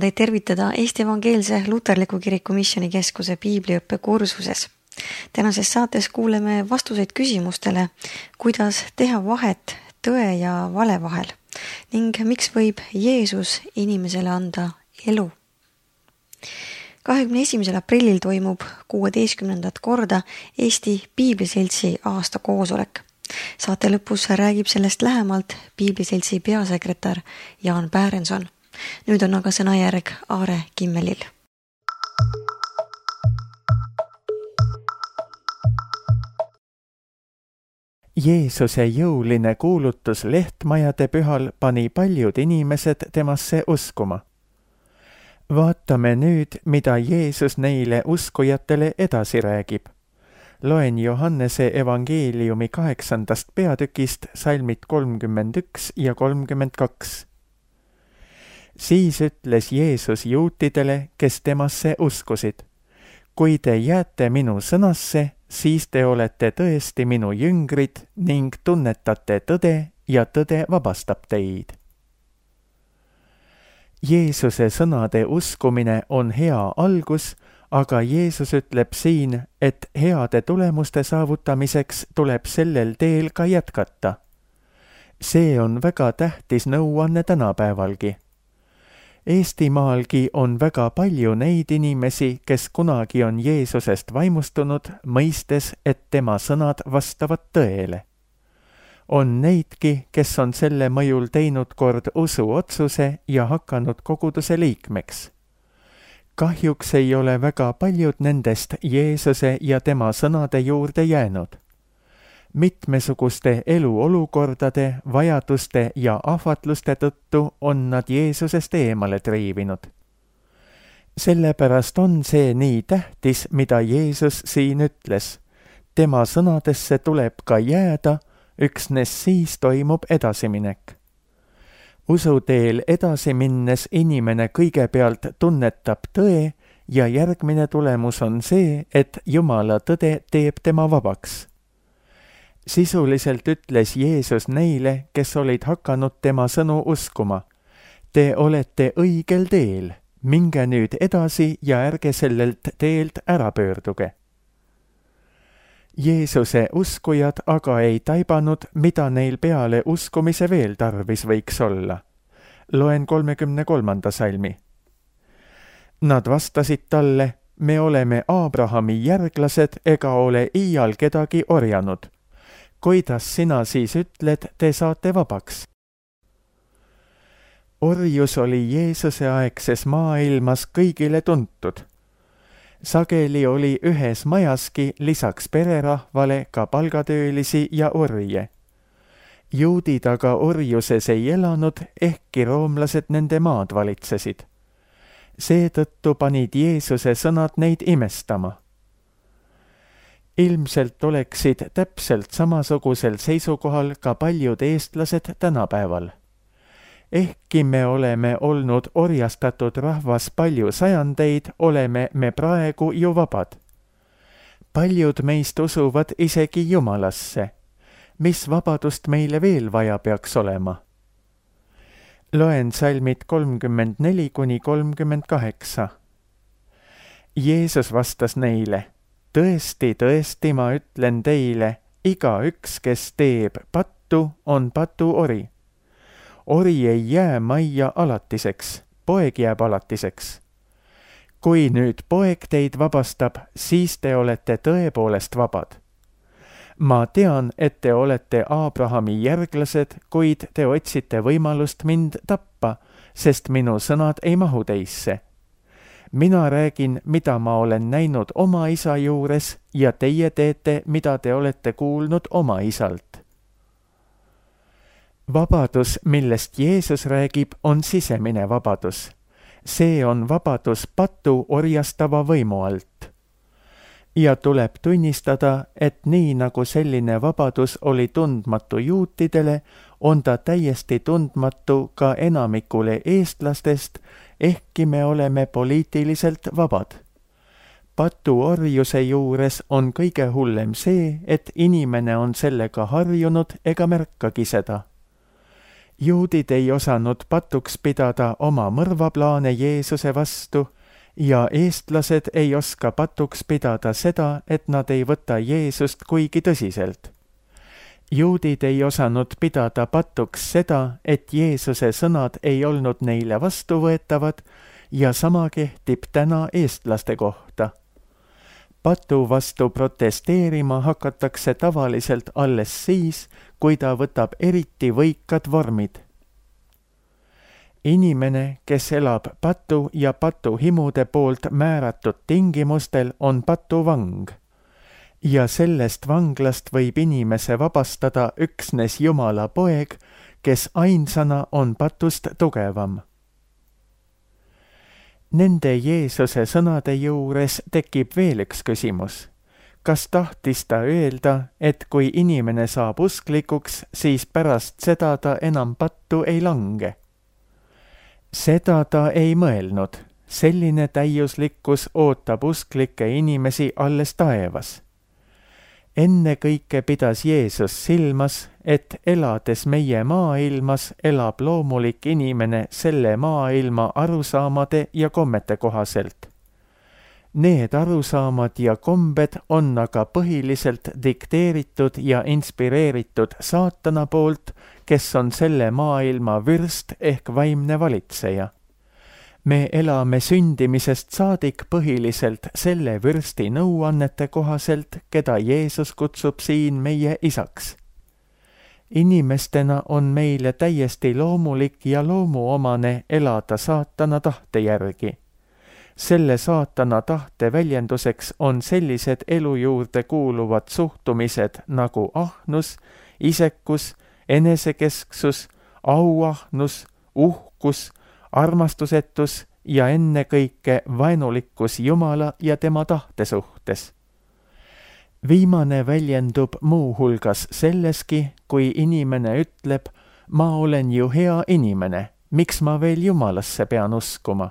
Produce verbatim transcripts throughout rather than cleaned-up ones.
teid tervitada Eesti Evangeelse Luterliku Kiriku Missioonikeskuse piibliõppe kursuses. Tänases saates kuuleme vastuseid küsimustele, kuidas teha vahet tõe ja vale vahel ning miks võib Jeesus inimesele anda elu. kahekümne esimesel aprillil toimub kuueteistkümnendat korda Eesti Piibliseltsi aastakoosolek. Saate lõpus räägib sellest lähemalt Piibliseltsi peasekretär Jaan Päärenson. Nüüd on aga sõnajärg Aare Kimmelil. Jeesuse jõuline kuulutus lehtmajade pühal pani paljud inimesed temasse uskuma. Vaatame nüüd, mida Jeesus neile uskujatele edasi räägib. Loen Johannese evangeeliumi kaheksandast peatükist salmid kolmkümmend üks ja kolmkümmend kaks. Siis ütles Jeesus juutidele, kes temasse uskusid. Kui te jääte minu sõnasse, siis te olete tõesti minu jüngrid ning tunnetate tõde ja tõde vabastab teid. Jeesuse sõnade uskumine on hea algus, aga Jeesus ütleb siin, et heade tulemuste saavutamiseks tuleb sellel teel ka jätkata. See on väga tähtis nõuanne tänapäevalgi. Eestimaalgi on väga palju neid inimesi, kes kunagi on Jeesusest vaimustunud, mõistes, et tema sõnad vastavad tõele. On neidki, kes on selle mõjul teinud kord usuotsuse ja hakanud koguduse liikmeks. Kahjuks ei ole väga paljud nendest Jeesuse ja tema sõnade juurde jäänud. Mitmesuguste eluolukordade, vajaduste ja ahvatluste tõttu on nad Jeesusest eemale triivinud. Sellepärast on see nii tähtis, mida Jeesus siin ütles. Tema sõnadesse tuleb ka jääda, üksnes siis toimub edasiminek. Usuteel edasi minnes inimene kõigepealt tunnetab tõe ja järgmine tulemus on see, et Jumala tõde teeb tema vabaks. Sisuliselt ütles Jeesus neile, kes olid hakanud tema sõnu uskuma. Te olete õigel teel, minge nüüd edasi ja ärge sellelt teelt ära pöörduge. Jeesuse uskujad aga ei taibanud, mida neil peale uskumise veel tarvis võiks olla. Loen kolmekümne kolmanda salmi. Nad vastasid talle, me oleme Abrahami järglased ega ole iial kedagi orjanud. Kuidas sina siis ütled, te saate vabaks? Orjus oli Jeesuse aegses maailmas kõigile tuntud. Sageli oli ühes majaski lisaks pererahvale ka palgatöölisi ja orje. Juudid aga orjuses ei elanud, ehkki roomlased nende maad valitsesid. Seetõttu panid Jeesuse sõnad neid imestama. Ilmselt oleksid täpselt samasugusel seisukohal ka paljud eestlased tänapäeval. Ehkki me oleme olnud orjastatud rahvas palju sajandeid, oleme me praegu ju vabad. Paljud meist usuvad isegi Jumalasse. Mis vabadust meile veel vaja peaks olema? Loen salmid kolmkümmend neli kuni kolmkümmend kaheksa. Jeesus vastas neile, tõesti, tõesti, ma ütlen teile, iga üks, kes teeb pattu, on patuori. Ori ei jää majja alatiseks, poeg jääb alatiseks. Kui nüüd poeg teid vabastab, siis te olete tõepoolest vabad. Ma tean, et te olete Abrahami järglased, kuid te otsite võimalust mind tappa, sest minu sõnad ei mahu teisse. Mina räägin, mida ma olen näinud oma isa juures ja teie teete, mida te olete kuulnud oma isalt. Vabadus, millest Jeesus räägib, on sisemine vabadus. See on vabadus patu orjastava võimu alt. Ja tuleb tunnistada, et nii nagu selline vabadus oli tundmatu juutidele, on ta täiesti tundmatu ka enamikule eestlastest, ehkki me oleme poliitiliselt vabad. Patuorjuse juures on kõige hullem see, et inimene on sellega harjunud ega märkagi seda. juudid ei osanud patuks pidada oma mõrvaplaane Jeesuse vastu ja eestlased ei oska patuks pidada seda, et nad ei võta Jeesust kuigi tõsiselt. Juudid ei osanud pidada patuks seda, et Jeesuse sõnad ei olnud neile vastuvõetavad ja sama kehtib täna eestlaste kohta. Patu vastu protesteerima hakatakse tavaliselt alles siis, kui ta võtab eriti võikad vormid. Inimene, kes elab patu ja patuhimude poolt määratud tingimustel, on patuvang. Ja sellest vanglast võib inimese vabastada üksnes Jumala poeg, kes ainsana on patust tugevam. Nende Jeesuse sõnade juures tekib veel üks küsimus. Kas tahtis ta öelda, et kui inimene saab usklikuks, siis pärast seda ta enam pattu ei lange? Seda ta ei mõelnud. Selline täiuslikkus ootab usklikke inimesi alles taevas. Enne kõike pidas Jeesus silmas, et elades meie maailmas elab loomulik inimene selle maailma arusaamade ja kommete kohaselt. Need arusaamad ja kombed on aga põhiliselt dikteeritud ja inspireeritud saatana poolt, kes on selle maailma vürst ehk vaimne valitseja. Me elame sündimisest saadik põhiliselt selle vürsti nõuannete kohaselt, keda Jeesus kutsub siin meie isaks. Inimestena on meile täiesti loomulik ja loomuomane elada saatana tahte järgi. Selle saatana tahte väljenduseks on sellised elu juurde kuuluvad suhtumised nagu ahnus, isekus, enesekesksus, auahnus, uhkus, armastusetus ja ennekõike vaenulikkus Jumala ja tema tahte suhtes. Viimane väljendub muu hulgas selleski, kui inimene ütleb, ma olen ju hea inimene, miks ma veel Jumalasse pean uskuma?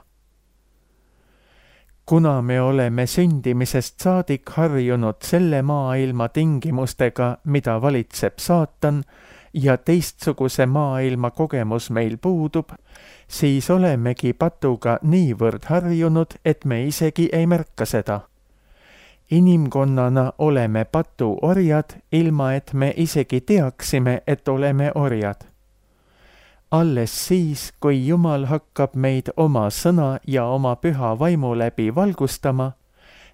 Kuna me oleme sündimisest saadik harjunud selle maailma tingimustega, mida valitseb saatan, ja teistsuguse maailma kogemus meil puudub, siis olemegi patuga niivõrd harjunud, et me isegi ei märka seda. Inimkonnana oleme patu orjad, ilma et me isegi teaksime, et oleme orjad. Alles siis, kui Jumal hakkab meid oma sõna ja oma püha vaimu läbi valgustama,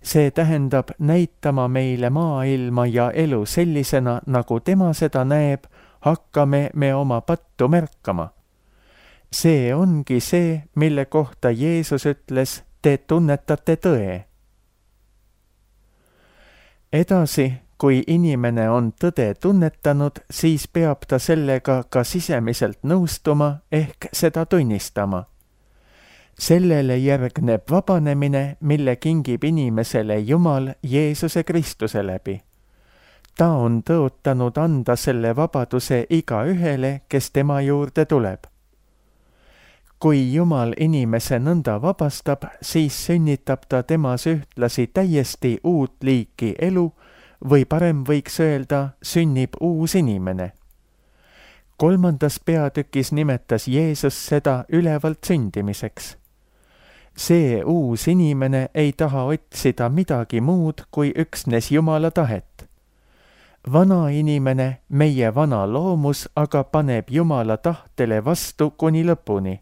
see tähendab näitama meile maailma ja elu sellisena, nagu tema seda näeb, hakkame me oma pattu märkama. See ongi see, mille kohta Jeesus ütles, te tunnetate tõe. Edasi, kui inimene on tõde tunnetanud, siis peab ta sellega ka sisemiselt nõustuma ehk seda tunnistama. Sellele järgneb vabanemine, mille kingib inimesele Jumal Jeesuse Kristuse läbi. Ta on tõotanud anda selle vabaduse igaühele, kes tema juurde tuleb. Kui Jumal inimese nõnda vabastab, siis sünnitab ta temas ühtlasi täiesti uut liiki elu või parem võiks öelda, sünnib uus inimene. Kolmandas peatükis nimetas Jeesus seda ülevalt sündimiseks. See uus inimene ei taha otsida midagi muud kui üksnes Jumala tahet. Vana inimene, meie vana loomus, aga paneb Jumala tahtele vastu kuni lõpuni.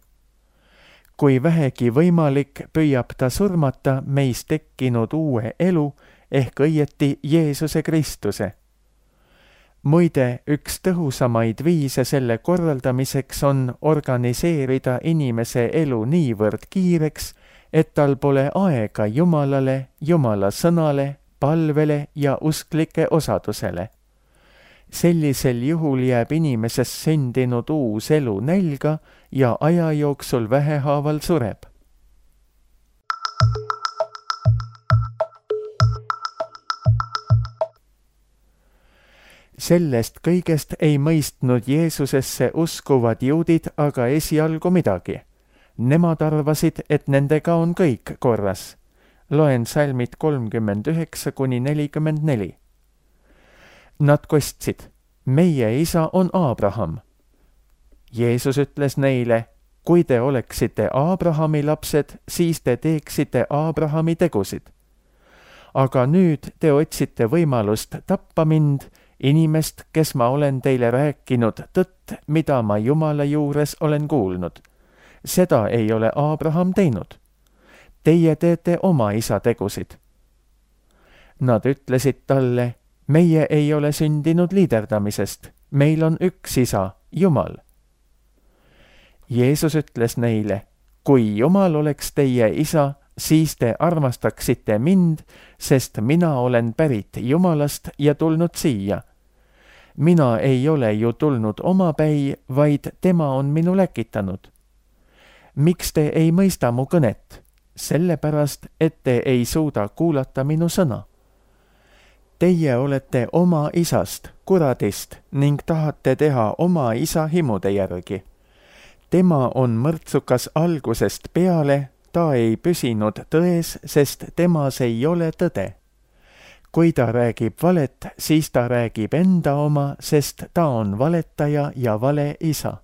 Kui vähegi võimalik, püüab ta surmata meis tekkinud uue elu ehk õieti Jeesuse Kristuse. Muide, üks tõhusamaid viise selle korraldamiseks on organiseerida inimese elu niivõrd kiireks, et tal pole aega Jumalale, Jumala sõnale, palvele ja usklike osadusele. Sellisel juhul jääb inimesest sündinud uus elu nälga ja aja jooksul vähehaaval sureb. Sellest kõigest ei mõistnud Jeesusesse uskuvad juudid aga esialgu midagi. Nemad arvasid, et nendega on kõik korras. Loen salmid kolmkümmend üheksa kuni nelikümmend neli. Nad kostsid, meie isa on Abraham. Jeesus ütles neile, kui te oleksite Abrahami lapsed, siis te teeksite Abrahami tegusid. Aga nüüd te otsite võimalust tappa mind, inimest, kes ma olen teile rääkinud tõtt, mida ma Jumala juures olen kuulnud. Seda ei ole Abraham teinud. Teie teete oma isa tegusid. Nad ütlesid talle, meie ei ole sündinud liiderdamisest, meil on üks isa, Jumal. Jeesus ütles neile, kui Jumal oleks teie isa, siis te armastaksite mind, sest mina olen pärit Jumalast ja tulnud siia. Mina ei ole ju tulnud omapäi, vaid tema on minu läkitanud. Miks te ei mõista mu kõnet? Sellepärast, et te ei suuda kuulata minu sõna. Teie olete oma isast, kuradist, ning tahate teha oma isa himude järgi. Tema on mõrtsukas algusest peale, ta ei püsinud tões, sest temas ei ole tõde. Kui ta räägib valet, siis ta räägib enda oma, sest ta on valetaja ja vale isa.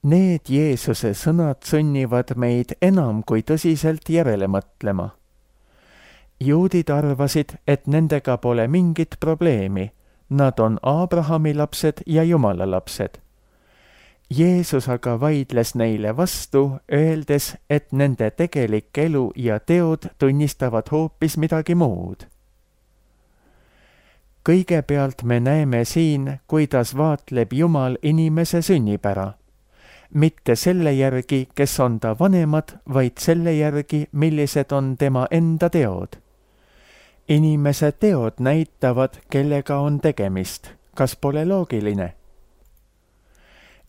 Need Jeesuse sõnad sunnivad meid enam kui tõsiselt järele mõtlema. Juudid arvasid, et nendega pole mingit probleemi. Nad on Abrahami lapsed ja Jumala lapsed. Jeesus aga vaidles neile vastu, öeldes, et nende tegelik elu ja teod tunnistavad hoopis midagi muud. Kõigepealt me näeme siin, kuidas vaatleb Jumal inimese sünnipära. Mitte selle järgi, kes on ta vanemad, vaid selle järgi, millised on tema enda teod. Inimese teod näitavad, kellega on tegemist. Kas pole loogiline?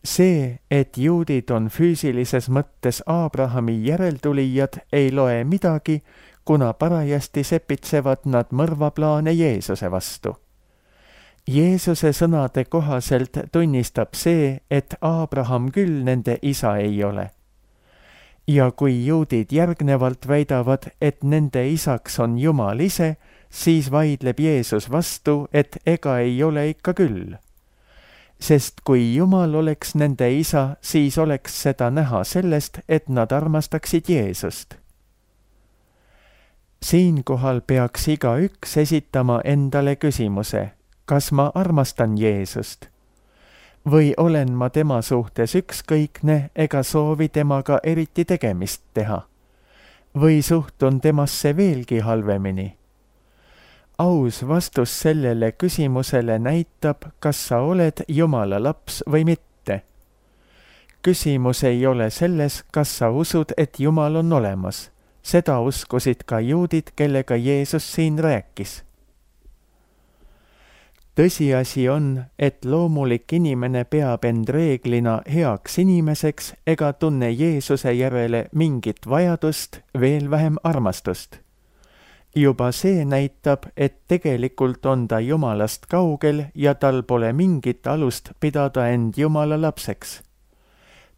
See, et juudid on füüsilises mõttes Abrahami järeltulijad, ei loe midagi, kuna parajasti sepitsevad nad mõrvaplaane Jeesuse vastu. Jeesuse sõnade kohaselt tunnistab see, et Abraham küll nende isa ei ole. Ja kui juudid järgnevalt väidavad, et nende isaks on Jumal ise, siis vaidleb Jeesus vastu, et ega ei ole ikka küll. Sest kui Jumal oleks nende isa, siis oleks seda näha sellest, et nad armastaksid Jeesust. Siinkohal peaks igaüks esitama endale küsimuse, kas ma armastan Jeesust? Või olen ma tema suhtes ükskõikne ega soovi temaga eriti tegemist teha? Või suhtun temasse veelgi halvemini? Aus vastus sellele küsimusele näitab, kas sa oled Jumala laps või mitte. Küsimus ei ole selles, kas sa usud, et Jumal on olemas. Seda uskusid ka juudid, kellega Jeesus siin rääkis. Tõsiasi on, et loomulik inimene peab end reeglina heaks inimeseks ega tunne Jeesuse järele mingit vajadust, veel vähem armastust. Juba see näitab, et tegelikult on ta Jumalast kaugel ja tal pole mingit alust pidada end Jumala lapseks.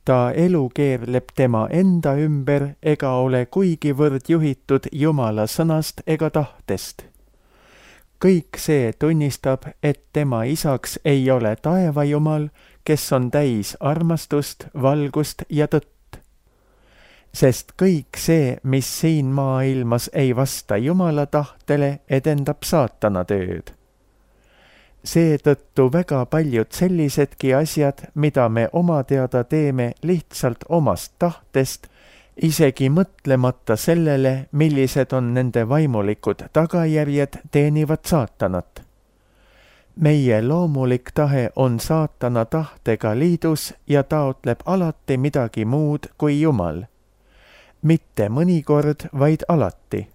Ta elu keerleb tema enda ümber ega ole kuigivõrd juhitud Jumala sõnast ega tahtest. Kõik see tunnistab, et tema isaks ei ole taeva Jumal, kes on täis armastust, valgust ja tõtt. Sest kõik see, mis siin maailmas ei vasta Jumala tahtele, edendab saatana tööd. Seetõttu väga paljud sellisedki asjad, mida me oma teada teeme lihtsalt omast tahtest, isegi mõtlemata sellele, millised on nende vaimulikud tagajärjed, teenivad saatanat. Meie loomulik tahe on saatana tahtega liidus ja taotleb alati midagi muud kui Jumal. Mitte mõnikord, vaid alati.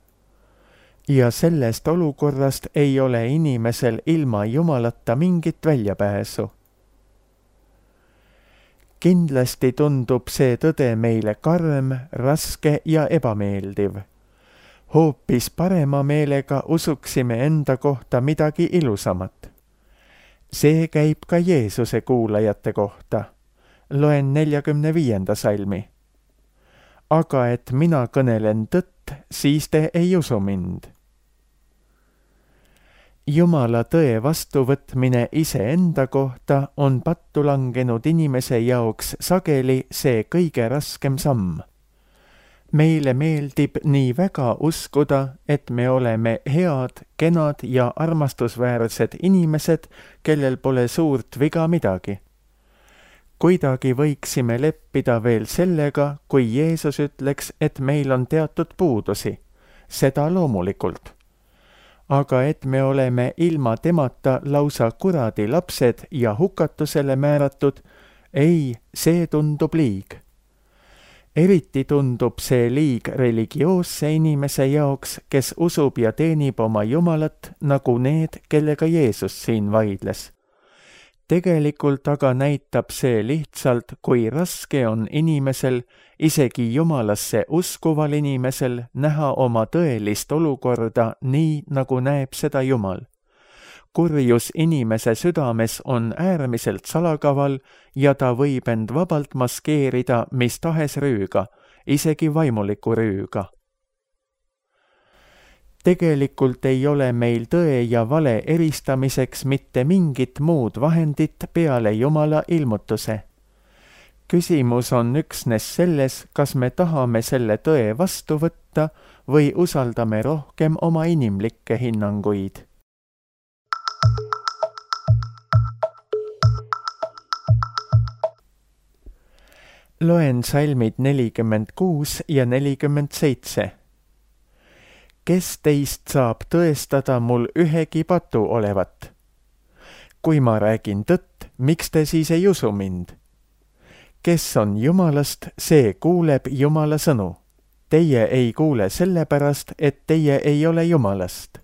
Ja sellest olukorrast ei ole inimesel ilma Jumalata mingit väljapääsu. Kindlasti tundub see tõde meile karm, raske ja ebameeldiv. Hoopis parema meelega usuksime enda kohta midagi ilusamat. See käib ka Jeesuse kuulajate kohta. Loen neljakümne viienda salmi. Aga et mina kõnelen tõtt, siis te ei usu mind. Jumala tõe vastuvõtmine iseenda kohta on pattu langenud inimese jaoks sageli see kõige raskem samm. Meile meeldib nii väga uskuda, et me oleme head, kenad ja armastusväärsed inimesed, kellel pole suurt viga midagi. Kuidagi võiksime leppida veel sellega, kui Jeesus ütleks, et meil on teatud puudusi. Seda loomulikult. Aga et me oleme ilma temata lausa kuradi lapsed ja hukatusele määratud, ei, see tundub liig. Eriti tundub see liig religioosse inimese jaoks, kes usub ja teenib oma Jumalat, nagu need, kellega Jeesus siin vaidles. Tegelikult aga näitab see lihtsalt, kui raske on inimesel, isegi Jumalasse uskuval inimesel, näha oma tõelist olukorda nii, nagu näeb seda Jumal. Kurjus inimese südames on äärmiselt salakaval ja ta võib end vabalt maskeerida mis tahes rüüga, isegi vaimuliku rüüga. Tegelikult ei ole meil tõe ja vale eristamiseks mitte mingit muud vahendit peale Jumala ilmutuse. Küsimus on üksnes selles, kas me tahame selle tõe vastu võtta või usaldame rohkem oma inimlikke hinnanguid. Loen salmid nelikümmend kuus ja nelikümmend seitse. Kes teist saab tõestada mul ühegi patu olevat? Kui ma räägin tõtt, miks te siis ei usu mind? Kes on Jumalast, see kuuleb Jumala sõnu. Teie ei kuule sellepärast, et teie ei ole Jumalast.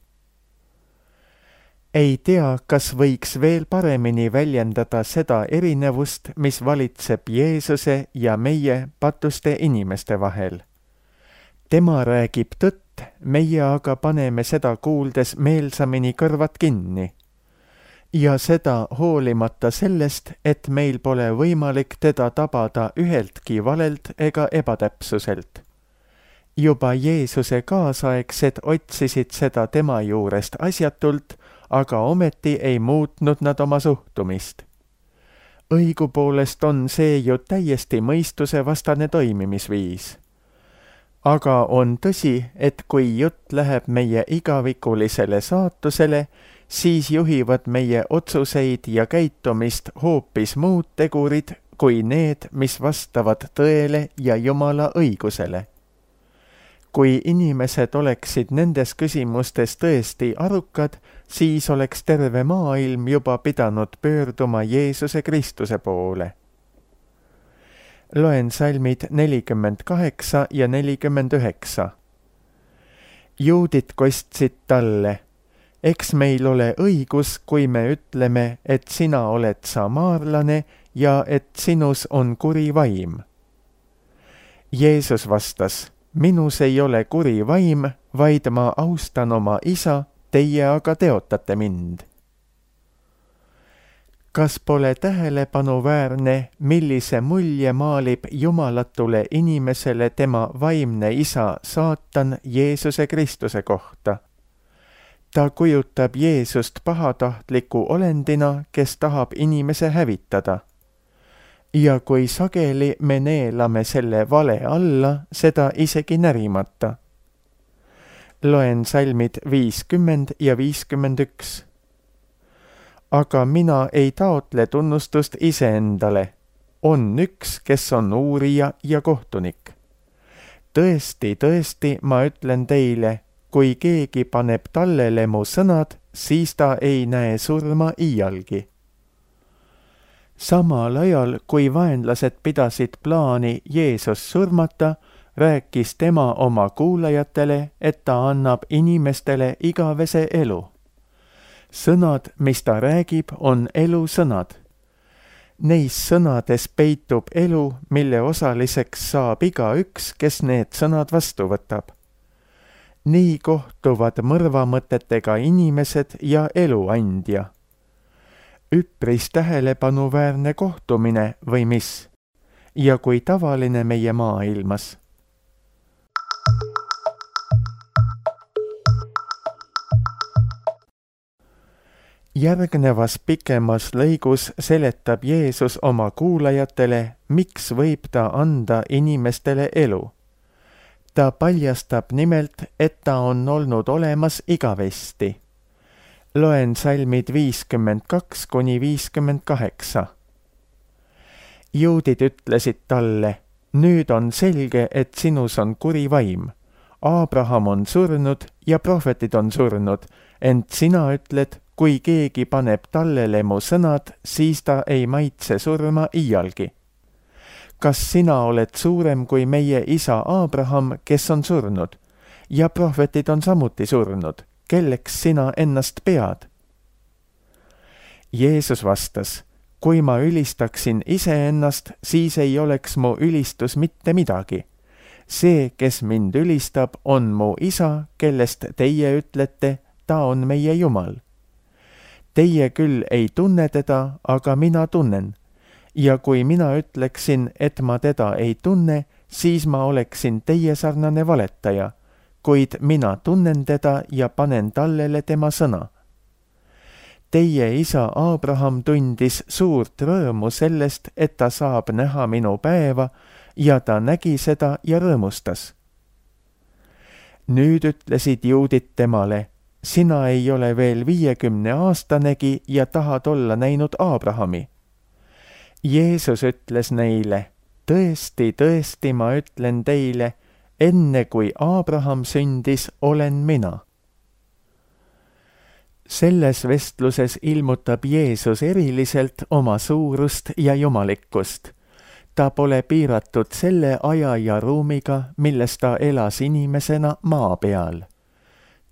Ei tea, kas võiks veel paremini väljendada seda erinevust, mis valitseb Jeesuse ja meie patuste inimeste vahel. Tema räägib tõtt, meie aga paneme seda kuuldes meelsamini kõrvad kinni. Ja seda hoolimata sellest, et meil pole võimalik teda tabada üheltki valelt ega ebatäpsuselt. Juba Jeesuse kaasaegsed otsisid seda tema juurest asjatult, aga ometi ei muutnud nad oma suhtumist. Õigupoolest on see ju täiesti mõistusevastane toimimisviis. Aga on tõsi, et kui jutt läheb meie igavikulisele saatusele, siis juhivad meie otsuseid ja käitumist hoopis muud tegurid kui need, mis vastavad tõele ja Jumala õigusele. Kui inimesed oleksid nendes küsimustes tõesti arukad, siis oleks terve maailm juba pidanud pöörduma Jeesuse Kristuse poole. Loen salmid nelikümmend kaheksa ja nelikümmend üheksa. Juudid kostsid talle, eks meil ole õigus, kui me ütleme, et sina oled samaarlane ja et sinus on kuri vaim. Jeesus vastas, minus ei ole kuri vaim, vaid ma austan oma isa, teie aga teotate mind. Kas pole tähelepanuväärne, millise mulje maalib jumalatule inimesele tema vaimne isa saatan Jeesuse Kristuse kohta? Ta kujutab Jeesust pahatahtliku olendina, kes tahab inimese hävitada. Ja kui sageli me neelame selle vale alla, seda isegi närimata. Loen salmid viiskümmend ja viiskümmend üks. Aga mina ei taotle tunnustust iseendale. On üks, kes on uurija ja kohtunik. Tõesti, tõesti, ma ütlen teile, kui keegi paneb tallele mu sõnad, siis ta ei näe surma iialgi. Samal ajal, kui vaenlased pidasid plaani Jeesus surmata, rääkis tema oma kuulajatele, et ta annab inimestele igavese elu. Sõnad, mis ta räägib, on elusõnad. Neis sõnades peitub elu, mille osaliseks saab igaüks, kes need sõnad vastu võtab. Nii kohtuvad mõrvamõtetega inimesed ja eluandja. Üpris tähelepanuväärne kohtumine või mis? Ja kui tavaline meie maailmas. Järgnevas pikemas lõigus seletab Jeesus oma kuulajatele, miks võib ta anda inimestele elu. Ta paljastab nimelt, et ta on olnud olemas igavesti. Loen salmid viiskümmend kaks kuni viiskümmend kaheksa. Juudid ütlesid talle, nüüd on selge, et sinus on kuri vaim. Abraham on surnud ja prohvetid on surnud, ent sina ütled, kui keegi paneb tallele mu sõnad, siis ta ei maitse surma iialgi. Kas sina oled suurem kui meie isa Abraham, kes on surnud? Ja prohvetid on samuti surnud. Kelleks sina ennast pead? Jeesus vastas, kui ma ülistaksin iseennast, siis ei oleks mu ülistus mitte midagi. See, kes mind ülistab, on mu isa, kellest teie ütlete, ta on meie Jumal. Teie küll ei tunne teda, aga mina tunnen. Ja kui mina ütleksin, et ma teda ei tunne, siis ma oleksin teie sarnane valetaja, kuid mina tunnen teda ja panen tallele tema sõna. Teie isa Abraham tundis suurt rõõmu sellest, et ta saab näha minu päeva, ja ta nägi seda ja rõõmustas. Nüüd ütlesid juudid temale, sina ei ole veel viiekümne aastanegi ja tahad olla näinud Abrahami. Jeesus ütles neile, tõesti, tõesti ma ütlen teile, enne kui Abraham sündis, olen mina. Selles vestluses ilmutab Jeesus eriliselt oma suurust ja jumalikkust. Ta pole piiratud selle aja ja ruumiga, milles ta elas inimesena maa peal.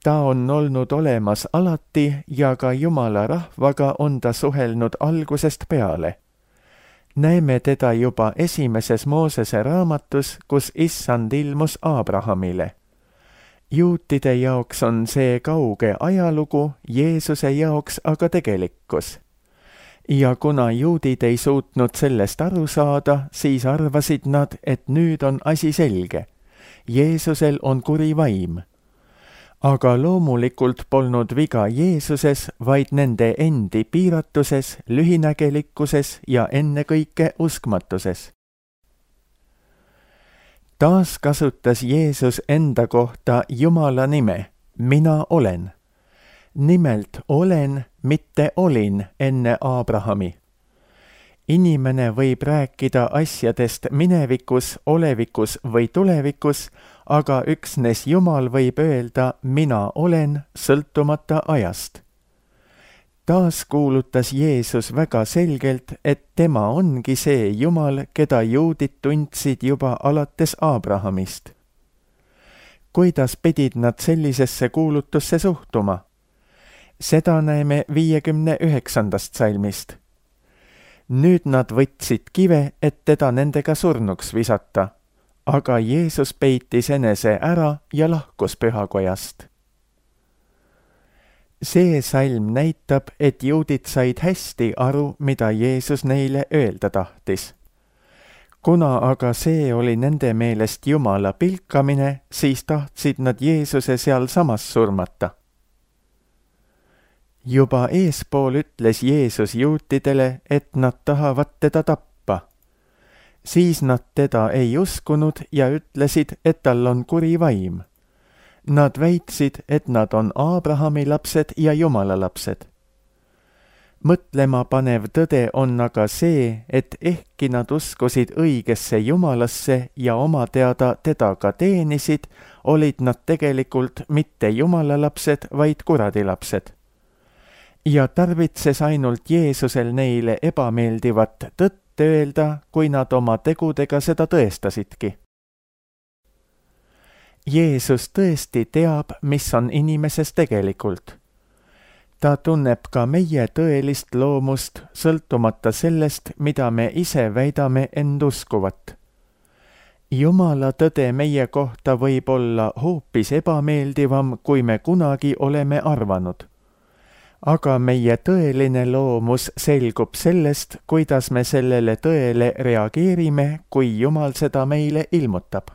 Ta on olnud olemas alati ja ka Jumala rahvaga on ta suhelnud algusest peale. Näeme teda juba esimeses Moosese raamatus, kus Issand ilmus Abrahamile. Juutide jaoks on see kauge ajalugu, Jeesuse jaoks aga tegelikkus. Ja kuna juudid ei suutnud sellest aru saada, siis arvasid nad, et nüüd on asi selge. Jeesusel on kuri vaim. Aga loomulikult polnud viga Jeesuses, vaid nende endi piiratuses, lühinägelikkuses ja ennekõike uskmatuses. Taas kasutas Jeesus enda kohta Jumala nime, mina olen. Nimelt olen, mitte olin enne Abrahami. Inimene võib rääkida asjadest minevikus, olevikus või tulevikus, aga üksnes Jumal võib öelda, mina olen, sõltumata ajast. Taas kuulutas Jeesus väga selgelt, et tema ongi see Jumal, keda juudid tundsid juba alates Abrahamist. Kuidas pidid nad sellisesse kuulutusse suhtuma? Seda näeme viiekümne üheksandast salmist. Nüüd nad võtsid kive, et teda nendega surnuks visata, aga Jeesus peitis enese ära ja lahkus pühakojast. See salm näitab, et juudid said hästi aru, mida Jeesus neile öelda tahtis. Kuna aga see oli nende meelest Jumala pilkamine, siis tahtsid nad Jeesuse seal samas surmata. Juba eespool ütles Jeesus juutidele, et nad tahavad teda tappa. Siis nad teda ei uskunud ja ütlesid, et tal on kuri vaim. Nad väitsid, et nad on Abrahami lapsed ja Jumala lapsed. Mõtlema panev tõde on aga see, et ehkki nad uskusid õigesse Jumalasse ja oma teada teda ka teenisid, olid nad tegelikult mitte Jumala lapsed, vaid kuradi lapsed. Ja tarvitses ainult Jeesusel neile ebameeldivat tõtt öelda, kui nad oma tegudega seda tõestasidki. Jeesus tõesti teab, mis on inimeses tegelikult. Ta tunneb ka meie tõelist loomust, sõltumata sellest, mida me ise väidame end uskuvat. Jumala tõde meie kohta võib olla hoopis ebameeldivam, kui me kunagi oleme arvanud. Aga meie tõeline loomus selgub sellest, kuidas me sellele tõele reageerime, kui Jumal seda meile ilmutab.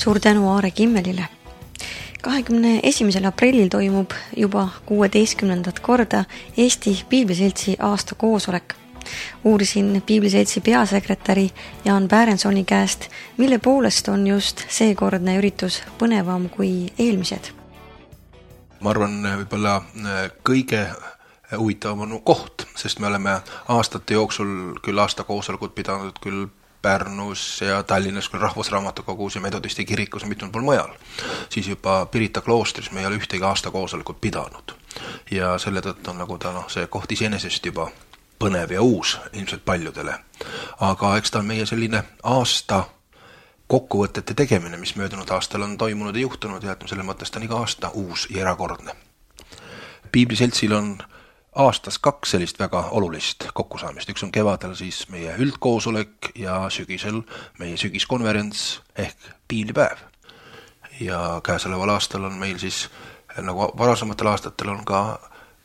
Suur tänu Aare Kimmelile. kahekümne esimesel aprillil toimub juba kuueteistkümnendat korda Eesti Piibliseltsi aasta koosolek. Uurisin Piibliseltsi peasekretäri Jaan Bärensoni käest, mille poolest on just seekordne üritus põnevam kui eelmised. Ma arvan, võib-olla kõige huvitavam on koht, sest me oleme aastate jooksul küll aasta koosolekut pidanud küll Pärnus ja Tallinnas küll Rahvusraamatukogus ja Metodisti kirikus ja mitmel pool mujal. Siis juba Pirita kloostris me ei ole ühtegi aasta koosolekut pidanud. Ja selle tõttu on nagu ta no, see koht iseenesest juba põnev ja uus ilmselt paljudele. Aga eks ta on meie selline aasta kokkuvõtete tegemine, mis möödunud aastal on toimunud ja juhtunud ja selle mõttes ta on iga aasta uus ja erakordne. Piibliseltsil on aastas kaks sellist väga olulist kokkusaamist. Üks on kevadel siis meie üldkoosolek ja sügisel meie sügiskonverents ehk piiblipäev. Ja käesoleval aastal on meil siis, nagu varasematel aastatel on ka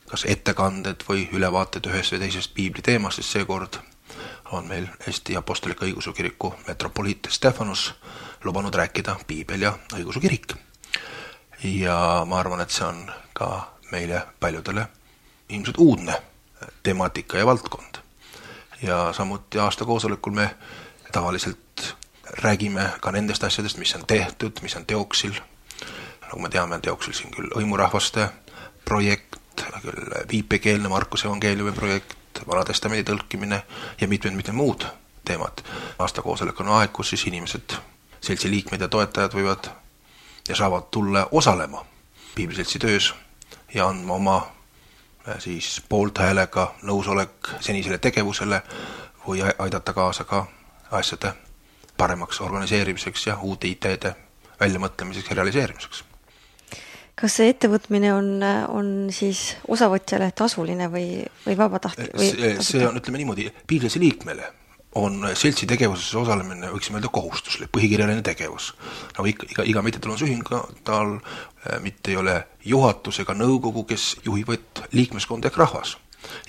kas ettekanded või ülevaated ühest või teisest piibli teemast, siis seekord on meil Eesti Apostolika Õigeusu Kiriku metropoliit Stefanus lubanud rääkida piibel ja õigeusu kirik. Ja ma arvan, et see on ka meile paljudele ilmselt uudne temaatika ja valdkond. Ja samuti aasta koosolekul me tavaliselt räägime ka nendest asjadest, mis on tehtud, mis on teoksil. Nagu me teame, on teoksil siin küll õimurahvaste projekt, küll viipekeelne Markuse evangeeliumi projekt, Vanatestamendi tõlkimine ja mitmed-mitmed muud teemad. Aasta koosolek on aeg, kus siis inimesed, seltsi liikmed ja toetajad võivad ja saavad tulla osalema Piibliseltsi töös ja andma oma siis poolthäälega nõusolek senisele tegevusele või aidata kaasa ka asjade paremaks organiseerimiseks ja uute ideede väljamõtlemiseks ja realiseerimiseks. Kas see ettevõtmine on, on siis osavõtjale tasuline või, või vabatahtlik? See, see on, ütleme niimoodi, Piibliseltsi liikmele on seltsi tegevuses osalemine, võiksime öelda, kohustuslik, põhikirjaline tegevus. Nagu iga, iga, iga mittetulundusühing, tal mitte ei ole juhatus ega nõukogu, kes juhivad liikmeskond ehk rahvas.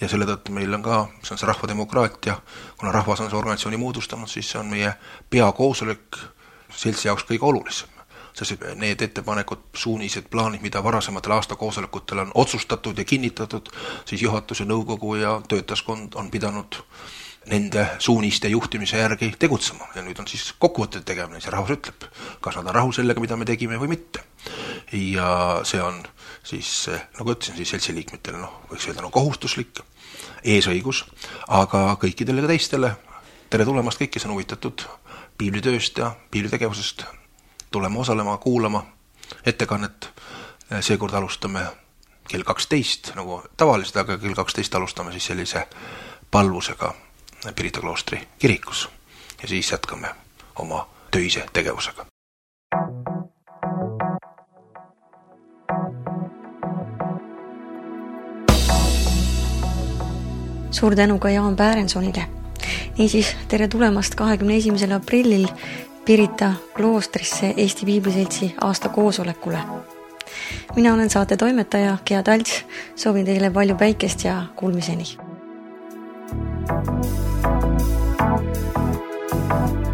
Ja selle tõttu meil on ka, see on see rahvademokraatia, kuna rahvas on see organisatsiooni moodustanud, siis see on meie peakoosolek seltsi jaoks kõige olulisem. Sest need ettepanekud, suunised, plaanid, mida varasematel aastakoosolekutel on otsustatud ja kinnitatud, siis juhatus ja nõukogu ja töötaskond on pidanud nende suuniste juhtimise järgi tegutsema. Ja nüüd on siis kokkuvõtted tegemine, see rahvas ütleb, kas nad on rahul sellega, mida me tegime või mitte. Ja see on siis, nagu ütlesin, siis seltsi liikmetele, noh, võiks öelda, no kohustuslik, eesõigus, aga kõikidele ka teistele, tere tulemast kõik, kes on huvitatud piiblitööst ja piiblitegevusest, tulema osalema, kuulama ettekannet. Seekord alustame kell kaksteist, nagu tavaliselt, aga kell kaksteist alustame siis sellise palvusega Pirita kloostri kirikus ja siis jätkame oma töise tegevusega. Suur tänu ka Jaan Bärensonile. Niisiis, tere tulemast kahekümne esimesel aprillil Pirita kloostrisse Eesti Piibliseltsi aasta koosolekule. Mina olen saate toimetaja Gea Talts, soovin teile palju päikest ja kuulmiseni. Thank you.